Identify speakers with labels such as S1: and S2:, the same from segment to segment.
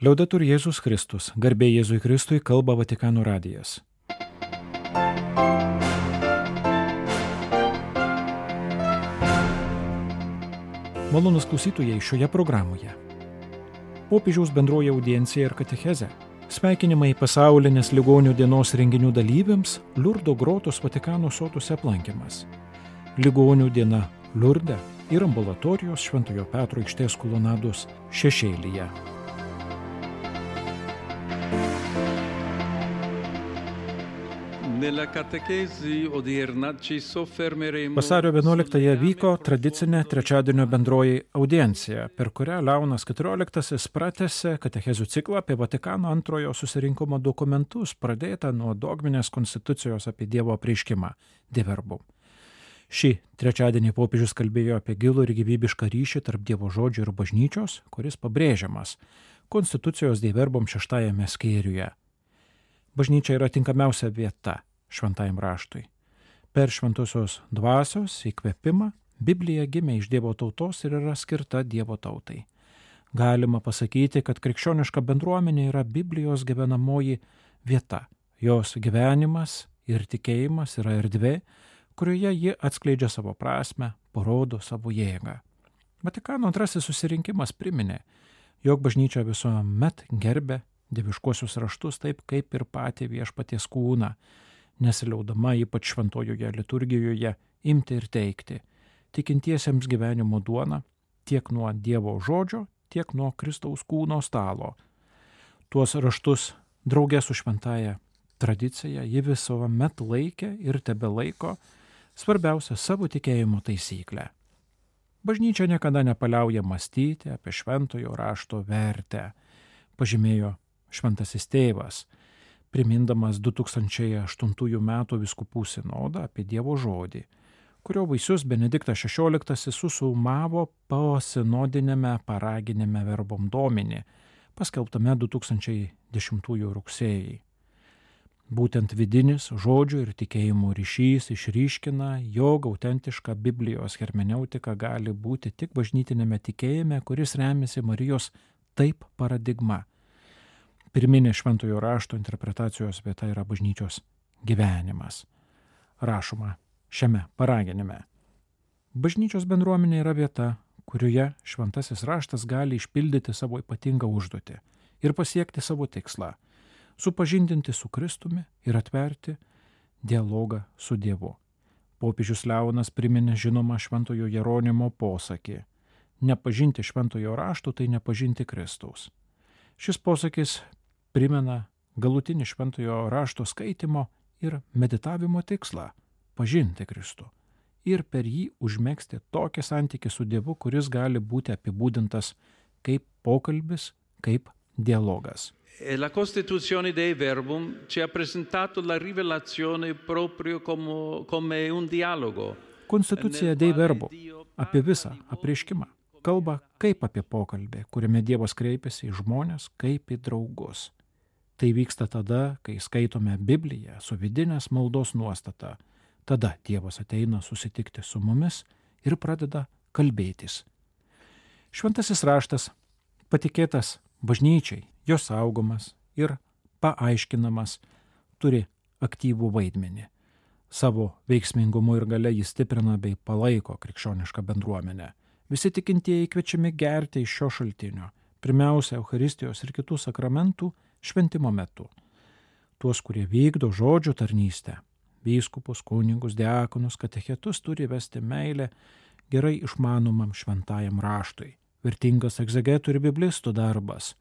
S1: Liaudetur Jėzus Kristus, garbė Jėzui Kristui, kalba Vatikano radijas. Malonūs klausytojai šioje programoje. Popiežiaus bendroji audiencija ir katechezė. Sveikinimai pasaulinės ligonių dienos renginių dalyviams Liurdo grotos Vatikano sotuose aplankymas. Ligonių diena Liurde ir ambulatorijos Šventojo Petro aikštės kolonados šešėlyje. Vasario 11-ąją vyko tradicinė trečiadienio bendroji audiencija, per kurią Leonas XIV pratęsė katechezių ciklą apie Vatikano antrojo susirinkimo dokumentus, pradėtą nuo dogminės konstitucijos apie Dievo apreiškimą De Verbum. Šį trečiadienį popiežius kalbėjo apie gilų ir gyvybišką ryšį tarp Dievo žodžio ir bažnyčios, kuris pabrėžiamas konstitucijos De Verbum 6 skyriuje. Bažnyčia yra tinkamiausia vieta šventajam raštui. Per šventosios dvasios įkvėpimą Biblija gimė iš Dievo tautos ir yra skirta Dievo tautai. Galima pasakyti, kad krikščioniška bendruomenė yra Biblijos gyvenamoji vieta. Jos gyvenimas ir tikėjimas yra erdvė, kurioje ji atskleidžia savo prasmę, parodo savo jėgą. Vatikano antrasis susirinkimas priminė, jog bažnyčia visuomet gerbė dieviškuosius raštus taip kaip ir patį viešpaties kūną, nesiliaudama ypač šventojoje liturgijoje imti ir teikti tikintiesiems gyvenimo duoną tiek nuo Dievo žodžio, tiek nuo Kristaus kūno stalo. Tuos raštus drauge su šventąja tradicija ji visuomet laikė ir tebelaiko svarbiausia savo tikėjimo taisyklę. Bažnyčia niekada nepaliauja mąstyti apie šventojo rašto vertę, pažymėjo šventasis tėvas, primindamas 2008 metų vyskupų sinodą apie Dievo žodį, kurio vaisius Benediktas XVI susumavo posinodinėme paraginėme Verbum Domini, paskelbtame 2010 rugsėjį. Būtent vidinis žodžių ir tikėjimų ryšys išryškina, jog autentiška Biblijos hermeneutika gali būti tik bažnytinėme tikėjime, kuris remiasi Marijos taip paradigma. Pirminė šventojo rašto interpretacijos vieta yra bažnyčios gyvenimas. Rašoma šiame paraginime. Bažnyčios bendruomenė yra vieta, kurioje šventasis raštas gali išpildyti savo ypatingą užduotį ir pasiekti savo tikslą, supažindinti su Kristumi ir atverti dialogą su Dievu. Popiežius Leonas priminė žinomą šventojo Jeronimo posakį: nepažinti šventojo rašto, tai nepažinti Kristaus. Šis posakis primena galutinį šventojo rašto skaitimo ir meditavimo tikslą – pažinti Kristų ir per jį užmegzti tokį santykį su Dievu, kuris gali būti apibūdintas kaip pokalbis, kaip dialogas.
S2: La Costituzione Dei Verbum ci ha presentato la rivelazione proprio come un dialogo.
S1: Konstitucija Dei Verbum apie visą apreiškimą kalba kaip apie pokalbį, kuriame Dievas kreipiasi į žmones kaip į draugus. Tai vyksta tada, kai skaitome Bibliją su vidinės maldos nuostata. Tada Dievas ateina susitikti su mumis ir pradeda kalbėtis. Šventasis raštas patikėtas bažnyčiai, jos saugomas ir paaiškinamas, turi aktyvų vaidmenį. Savo veiksmingumu ir galia jis stiprina bei palaiko krikščionišką bendruomenę. Visi tikintieji kviečiami gerti iš šio šaltinio, pirmiausia, Eucharistijos ir kitų sakramentų šventimo metu. Tuos, kurie vykdo žodžio tarnystę, vyskupus, kunigus, diakonus, katechetus turi vesti meilę gerai išmanomam šventajam raštui. Vertingas egzegetų ir biblistų darbas.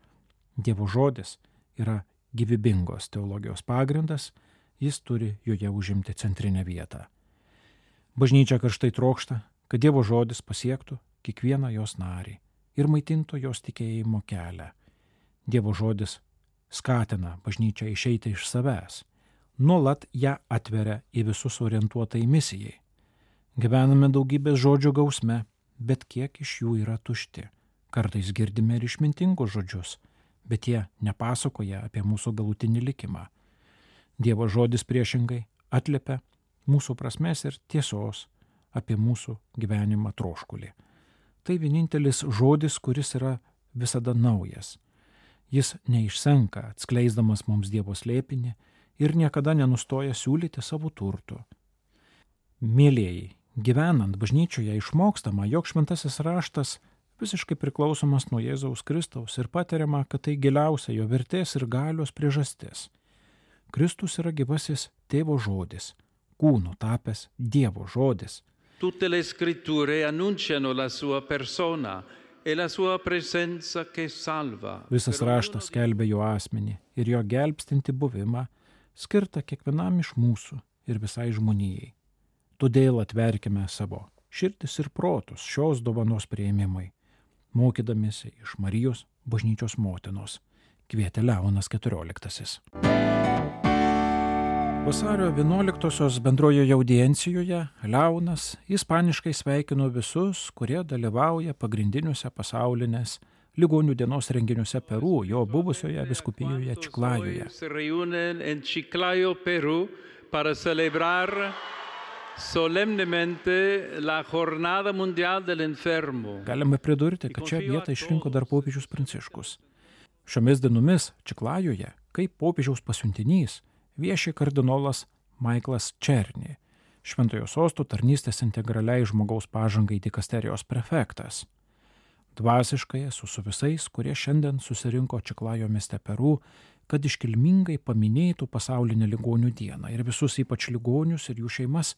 S1: Dievo žodis yra gyvybingos teologijos pagrindas, jis turi joje užimti centrinę vietą. Bažnyčia karštai trokšta, kad Dievo žodis pasiektų kiekvieną jos narį ir maitintų jos tikėjimo kelią. Dievo žodis skatina bažnyčią išeiti iš savęs, nuolat ją atveria į visus orientuotai misijai. Gyvename daugybės žodžių gausme, bet kiek iš jų yra tušti. Kartais girdime ir išmintingus žodžius, bet jie nepasakoja apie mūsų galutinį likimą. Dievo žodis priešingai atliepia mūsų prasmės ir tiesos apie mūsų gyvenimą troškulį. Tai vienintelis žodis, kuris yra visada naujas. Jis neišsenka, atskleisdamas mums Dievo slėpinį ir niekada nenustoja siūlyti savo turtų. Mėlėjai, gyvenant bažnyčioje išmokstama, jog šventasis raštas visiškai priklausomas nuo Jėzaus Kristaus ir patiriama, kad tai giliausia jo vertės ir galios priežastis. Kristus yra gyvasis Tėvo žodis, kūnu tapęs Dievo žodis.
S2: Tutte le scritture annunciano la sua persona e la sua presenza che salva.
S1: Visas raštas skelbia jo asmenį ir jo gelbstinti buvimą, skirtą kiekvienam iš mūsų ir visai žmonijai. Todėl atverkime savo širdis ir protus šios dovanos priėmimai, mokydamiesi iš Marijos bažnyčios motinos, kvietė Leonas XIV. Vasario 11-osios bendrojoje audiencijoje Leonas ispaniškai sveikino visus, kurie dalyvauja pagrindiniuose pasaulinės ligonių dienos renginiuose Peru, jo buvusioje vyskupijoje Čiklajoje.
S2: Se reúnen en Chiclayo, Perú, para celebrar solemnemente la Jornada Mundial del Enfermo.
S1: Galime pridurti, kad šią vietą išrinko dar popiežius Pranciškus. Šiomis dienomis Čiklajoje, kaip popiežiaus pasiuntinys, vieši kardinolas Michaelas Černy, Šventojo sosto tarnystės integraliai žmogaus pažangai dikasterijos prefektas. Dvasiškai esu su visais, kurie šiandien susirinko Čiklajo mieste Peru, kad iškilmingai paminėtų pasaulinę ligonių dieną ir visus ypač ligonius ir jų šeimas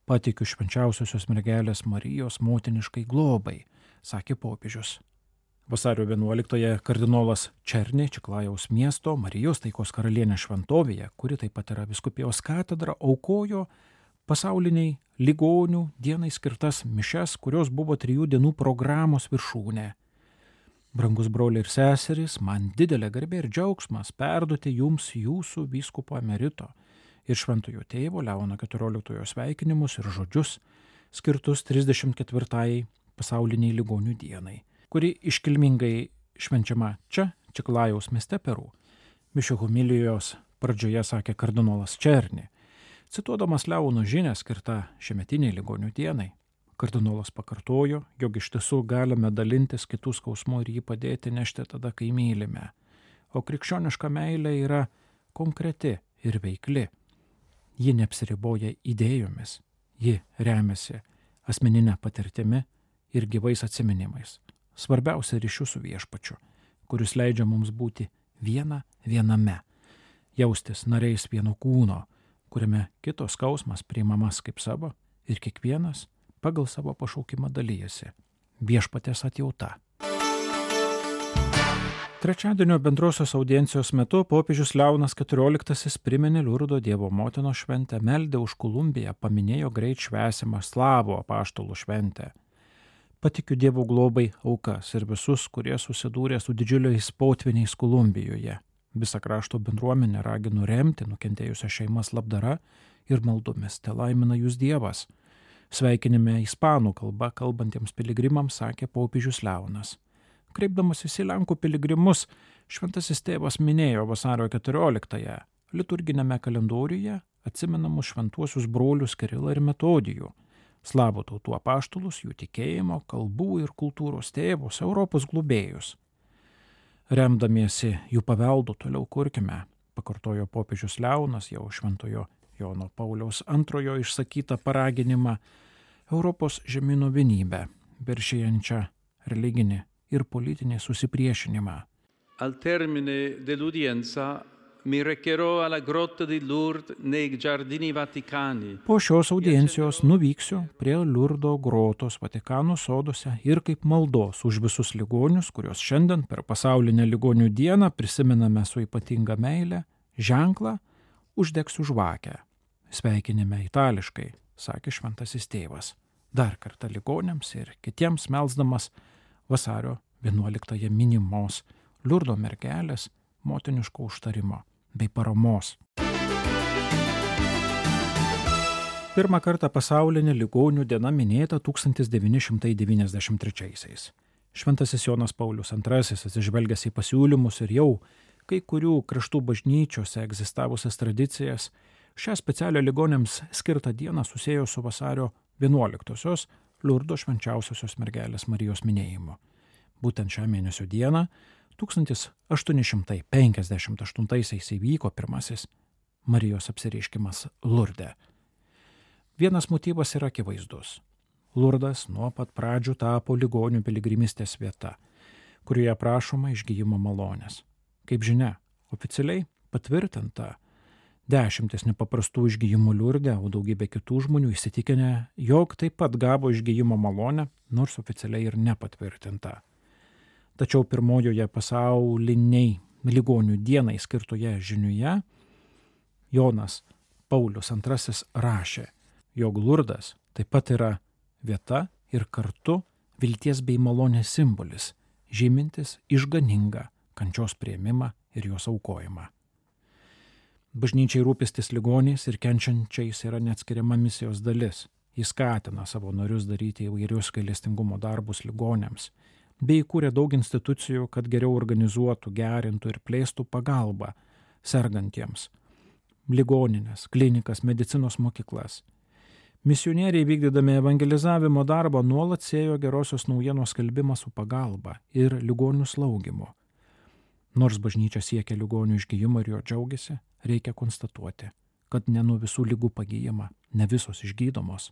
S1: patikiu švenčiausiosios mergelės Marijos motiniškai globai, sakė popiežius. Vasario 11-ąją kardinolas Černy Čiklajaus miesto Marijos taikos karalienės šventovėje, kuri taip pat yra vyskupijos katedra, aukojo pasauliniai ligonių dienai skirtas mišias, kurios buvo 3 dienų programos viršūnė. Brangus broliai ir seserys, man didelė garbė ir džiaugsmas perduoti jums jūsų vyskupo emerito ir šventojo tėvo Leono XIV sveikinimus ir žodžius skirtus 34-ąjai pasauliniai ligonių dienai, kuri iškilmingai švenčiama čia, Čiklajaus mieste Peru. Mišių homilijos pradžioje sakė kardinolas Černy, cituodamas Leono žinią skirtą šiemetiniai ligonių dienai. Kardinolas pakartojo, jog iš tiesų galime dalintis kitų skausmų ir jį padėti nešti tada, kai mylime. O krikščioniška meilė yra konkreti ir veikli. Ji neapsiriboja idėjomis, ji remiasi asmeninė patirtimi ir gyvais atsiminimais. Svarbiausia ryšių su viešpačiu, kuris leidžia mums būti viename, jaustis nariais vieno kūno, kuriame kito skausmas priimamas kaip savo ir kiekvienas pagal savo pašaukimą dalyjasi. Viešpaties atjauta. Trečiadienio bendrosios audiencijos metu popiežius Leonas XIV priminė Liurdo Dievo motinos šventę, meldė už Kolumbiją, paminėjo greit švęsimą slavų apaštalų šventę. Patikiu Dievo globai aukas ir visus, kurie susidūrė su didžiuliais potviniais Kolumbijoje. Visą krašto bendruomenę raginu remti nukentėjusią šeimas labdara ir maldomis. Te laimina jūs Dievas. Sveikinime ispanų kalba kalbantiems piligrimams sakė popiežius Leonas. Kreipdamasis į Lenkų piligrimus, šventasis tėvas minėjo vasario 14-ąją liturginėme kalendoriuje atsimenamus šventuosius brolius Kirilą ir Metodijų, slavų tautų apaštalus, jų tikėjimo, kalbų ir kultūros tėvus, Europos globėjus. Remdamiesi jų paveldu toliau kurkime, pakartojo popiežius Leonas jau šventojo Jono Pauliaus II išsakytą paraginimą Europos žemynų vienybę, viršijančią religinį ir politinį susipriešinimą.
S2: Al termine dell'udienza mi recherò alla grotta di Lourdes nei giardini vaticani.
S1: Po šios audiencijos nuvyksiu prie Liurdo grotos Vatikano soduose ir kaip maldos už visus ligonius, kuriuos šiandien per pasaulinę ligonių dieną prisimename su ypatinga meile, ženklą uždegsiu žvakę. Sveikinime itališkai, sakė šventasis tėvas, dar kartą ligoniams ir kitiems melsdamas vasario 11-ąją minimos Liurdo mergelės motiniško užtarimo bei paramos. Pirmą kartą pasaulinė ligonių diena minėta 1993-aisiais. Šventasis Jonas Paulius II atsižvelgęs į pasiūlymus ir jau kai kurių kraštų bažnyčiose egzistavusias tradicijas, šią specialią ligoniams skirtą dieną susiejo su vasario 11-osios Liurdo švenčiausiosios mergelės Marijos minėjimu. Būtent šią mėnesio dieną 1858 įvyko pirmasis Marijos apsireiškimas Lurde. Vienas motyvas yra akivaizdus. Lurdas nuo pat pradžių tapo ligonių piligrimystės vieta, kurioje prašoma išgyjimo malonės. Kaip žinia, oficialiai patvirtinta 10 nepaprastų išgyjimų Lurde, o daugybė kitų žmonių įsitikinę, jog taip pat gavo išgyjimo malonę, nors oficialiai ir nepatvirtinta. Tačiau pirmojoje pasauliniai ligonių dienai skirtoje žiniuje Jonas Paulius II rašė, jog Lurdas taip pat yra vieta ir kartu vilties bei malonės simbolis, žymintis išganingą kančios priėmimą ir jos aukojimą. Bažnyčiai rūpestis ligoniais ir kenčiančiais yra neatskiriama misijos dalis. Jis skatina savo narius daryti įvairius gailestingumo darbus ligoniams, bei įkūrė daug institucijų, kad geriau organizuotų, gerintų ir plėstų pagalbą sergantiems, ligoninės, klinikas, medicinos mokyklas. Misionieriai vykdydami evangelizavimo darbą nuolat siejo gerosios naujienos skelbimą su pagalba ir ligonių slaugymu. Nors bažnyčia siekia ligonių išgyjimo ir jo džiaugiasi, reikia konstatuoti, kad ne nuo visų ligų pagyjama, ne visos išgydomos.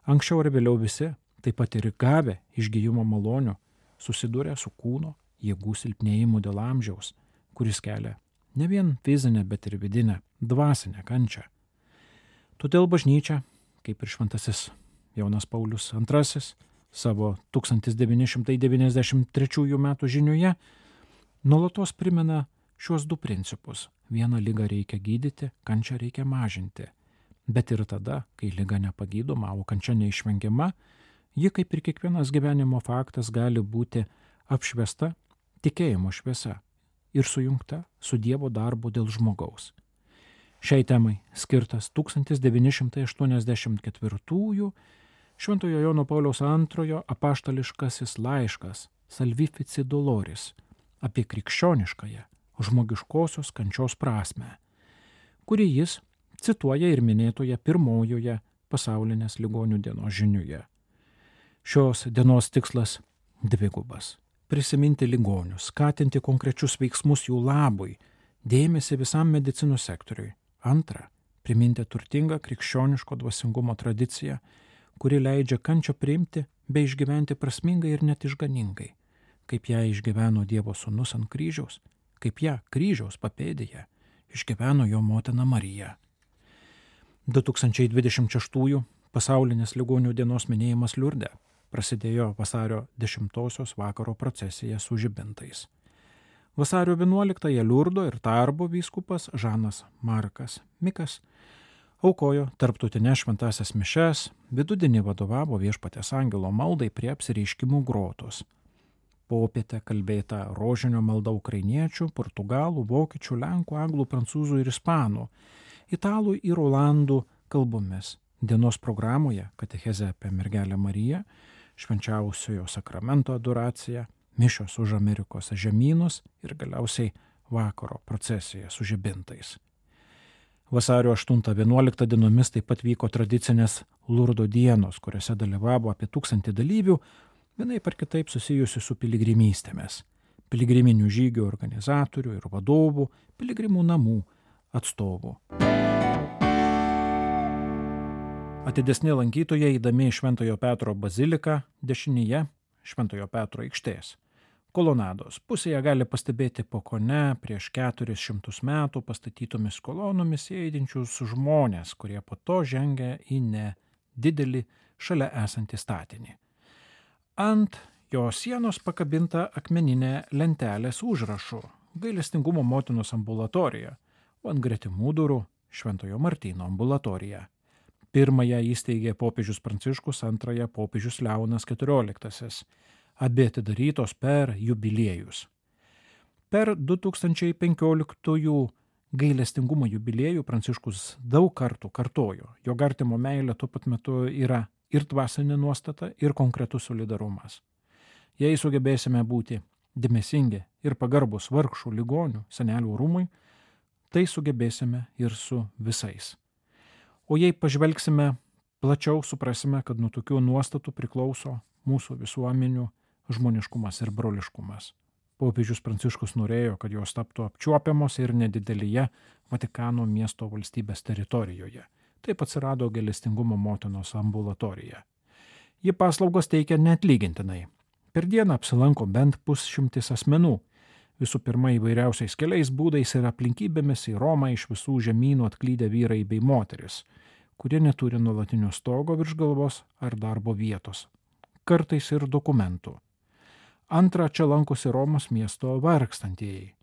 S1: Anksčiau ar vėliau visi, taip pat ir gavę išgyjimo malonių, susidūrė su kūno jėgų silpnėjimu dėl amžiaus, kuris kelia ne vien fizinę, bet ir vidinę, dvasinę kančią. Todėl bažnyčia, kaip ir šventasis Jonas Paulius II savo 1993 metų žiniuje, nuolatos primena šiuos du principus. Vieną ligą reikia gydyti, kančią reikia mažinti. Bet ir tada, kai liga nepagydoma, o kančia neišvengiama, ji, kaip ir kiekvienas gyvenimo faktas, gali būti apšviesta tikėjimo šviesa ir sujungta su Dievo darbu dėl žmogaus. Šiai temai skirtas 1984 Šventojo Jono Pauliaus II apaštališkasis laiškas Salvifici Doloris apie krikščioniškąją žmogiškosios kančios prasmę, kurį jis cituoja ir minėtoje pirmojoje pasaulinės ligonių dienos žiniuje. Šios dienos tikslas dvigubas – prisiminti ligonius, skatinti konkrečius veiksmus jų labui, dėmesį visam medicinos sektoriui. Antra, priminti turtingą krikščioniško dvasingumo tradiciją, kuri leidžia kančią priimti bei išgyventi prasmingai ir net išganingai, kaip ją išgyveno Dievo sūnus ant kryžiaus, kaip ją kryžiaus papėdėje išgyveno jo motina Marija. 2026 pasaulinės ligonių dienos minėjimas Liurde prasidėjo vasario 10 vakaro procesija su žibintais. Vasario 11 Liurdo ir Tarbo vyskupas Žanas Markas Mikas aukojo tarptautinės šventąsias mišias, vidudienį vadovavo Viešpaties angelo maldai prie apsireiškimų grotos. Popietę kalbėta rožinio malda ukrainiečių, portugalų, vokiečių, lenkų, anglų, prancūzų ir ispanų, italų ir olandų kalbomis. Dienos programoje katechezė apie mergelę Mariją, švenčiausiojo sakramento adoracija, mišios už Amerikos žemynus ir galiausiai vakaro procesija su žibintais. Vasario 8-11 dienomis taip pat vyko tradicinės Lurdo dienos, kuriuose dalyvavo apie 1000 dalyvių, vienaip ar kitaip susijusi su piligrimystėmis, piligriminių žygių organizatorių ir vadovų, piligrimų namų atstovų. Atidesni lankytojai eidami į Šventojo Petro baziliką dešinėje Šventojo Petro aikštės kolonados pusėje gali pastebėti po kone prieš 400 metų pastatytomis kolonomis įeidinčius žmonės, kurie po to žengia į nedidelį šalia esantį statinį. Ant jo sienos pakabinta akmeninė lentelė su užrašu Gailestingumo motinos ambulatorija, o ant gretimų durų Šventojo Martyno ambulatorija. Pirmąją įsteigė popiežius Pranciškus, antrąją popiežius Leonas XIV. Abi atidarytos per jubiliejus. Per 2015 gailestingumo jubiliejų Pranciškus daug kartų kartojo, jog artimo meilė tuo pat metu yra ir dvasinė nuostata, ir konkretus solidarumas. Jei sugebėsime būti dėmesingi ir pagarbus vargšų ligonių senelių rūmui, tai sugebėsime ir su visais. O jei pažvelgsime plačiau, suprasime, kad nuo tokių nuostatų priklauso mūsų visuomenių žmoniškumas ir broliškumas. Popiežius Pranciškus norėjo, kad jos taptų apčiuopiamos ir nedidelėje Vatikano miesto valstybės teritorijoje. Taip atsirado Gailestingumo motinos ambulatorija. Ji paslaugos teikia neatlygintinai. Per dieną apsilanko bent 100 asmenų. Visų pirma, įvairiausiais keliais būdais ir aplinkybėmis į Romą iš visų žemynų atklydę vyrai bei moteris, kurie neturi nuolatinio stogo virš galvos ar darbo vietos, kartais ir dokumentų. Antra, čia lankosi Romos miesto vargstantieji.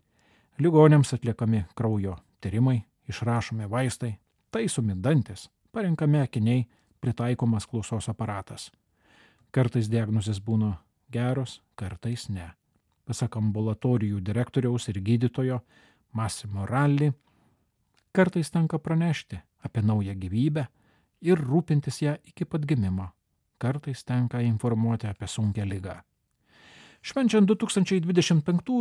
S1: Ligonėms atliekami kraujo tyrimai, išrašomi vaistai, taisomi dantis, parenkami akiniai, pritaikomas klausos aparatas. Kartais diagnozės būna geros, kartais ne. Pasak ambulatorijų direktoriaus ir gydytojo Massimo Ralli, kartais tenka pranešti apie naują gyvybę ir rūpintis ją iki pat gimimo. Kartais tenka informuoti apie sunkią ligą. Švenčiant 2025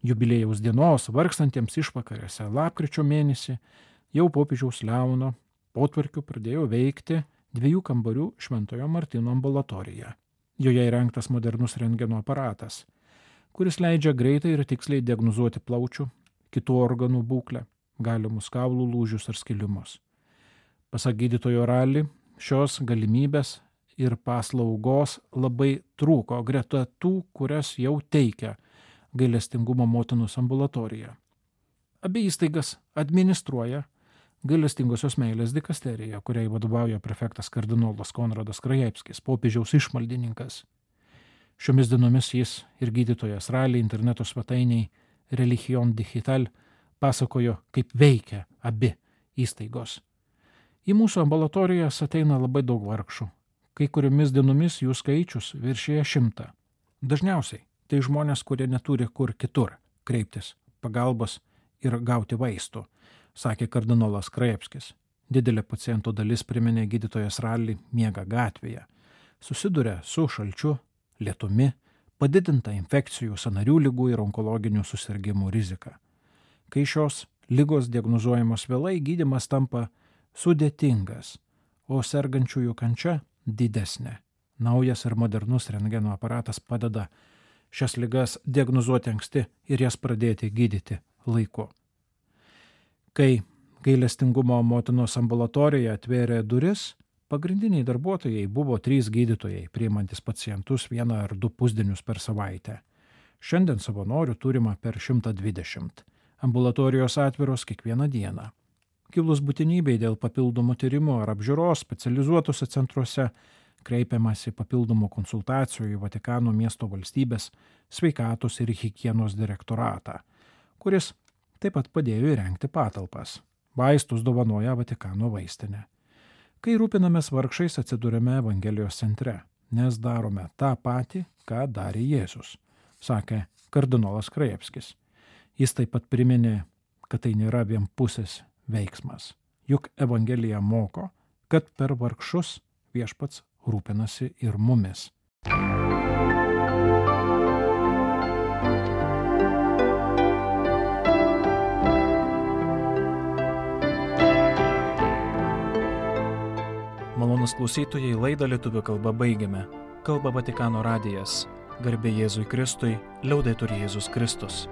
S1: jubiliejaus dienos vargstantiems išvakarėse lapkričio mėnesį, jau popiežiaus Leono potvarkiu pradėjo veikti 2 kambarių Šventojo Martyno ambulatorija. Joje įrengtas modernus rentgeno aparatas, kuris leidžia greitai ir tiksliai diagnozuoti plaučių, kitų organų būklę, galimus kaulų lūžius ar skilimus. Pasak gydytojo Ralli, šios galimybės ir paslaugos labai trūko greta tų, kurias jau teikia Gailestingumo motinos ambulatorija. Abi įstaigas administruoja Gailestingosios meilės dikasterija, kuriai vadovauja prefektas kardinolas Konradas Krajevskis, popiežiaus išmaldininkas. Šiomis dienomis jis ir gydytojas Ralli interneto svetainiai Religion Digital pasakojo, kaip veikia abi įstaigos. Į mūsų ambulatorijas ateina labai daug vargšų. Kai kuriomis dienomis jų skaičius viršėja 100. Dažniausiai tai žmonės, kurie neturi kur kitur kreiptis pagalbos ir gauti vaistų, sakė kardinolas Krajevskis. Didelė pacientų dalis, priminė gydytojas Ralli, miega gatvėje. Susiduria su šalčiu, lietumi, padidinta infekcijų, sąnarių ligų ir onkologinių susirgimų rizika. Kai šios ligos diagnozuojamos vėlai, gydymas tampa sudėtingas, o sergančiųjų kančia didesnė. Naujas ir modernus rentgeno aparatas padeda šias ligas diagnozuoti anksti ir jas pradėti gydyti laiku. Kai Gailestingumo motinos ambulatorija atvėrė duris, pagrindiniai darbuotojai buvo 3 gydytojai, priimantis pacientus 1 ar 2 pusdienius per savaitę. Šiandien savanorių turima per 120. Ambulatorijos atviros kiekvieną dieną. Kilus būtinybei dėl papildomų tyrimų ar apžiūros specializuotose centruose, kreipiamasi papildomų konsultacijų į Vatikano miesto valstybės sveikatos ir higienos direktoratą, kuris taip pat padėjo įrengti patalpas. Vaistus dovanoja Vatikano vaistinė. Kai rūpinamės vargšais, atsidūrėme Evangelijos centre, nes darome tą patį, ką darė Jėzus, sakė kardinolas Krajevskis. Jis taip pat priminė, kad tai nėra vienpusis veiksmas. Juk Evangelija moko, kad per vargšus Viešpats rūpinasi ir mumis.
S3: Malonūs klausytojai, laidą lietuvių kalba baigiame. Kalba Vatikano radijas. Garbė Jėzui Kristui, liaudetur Jėzus Kristus.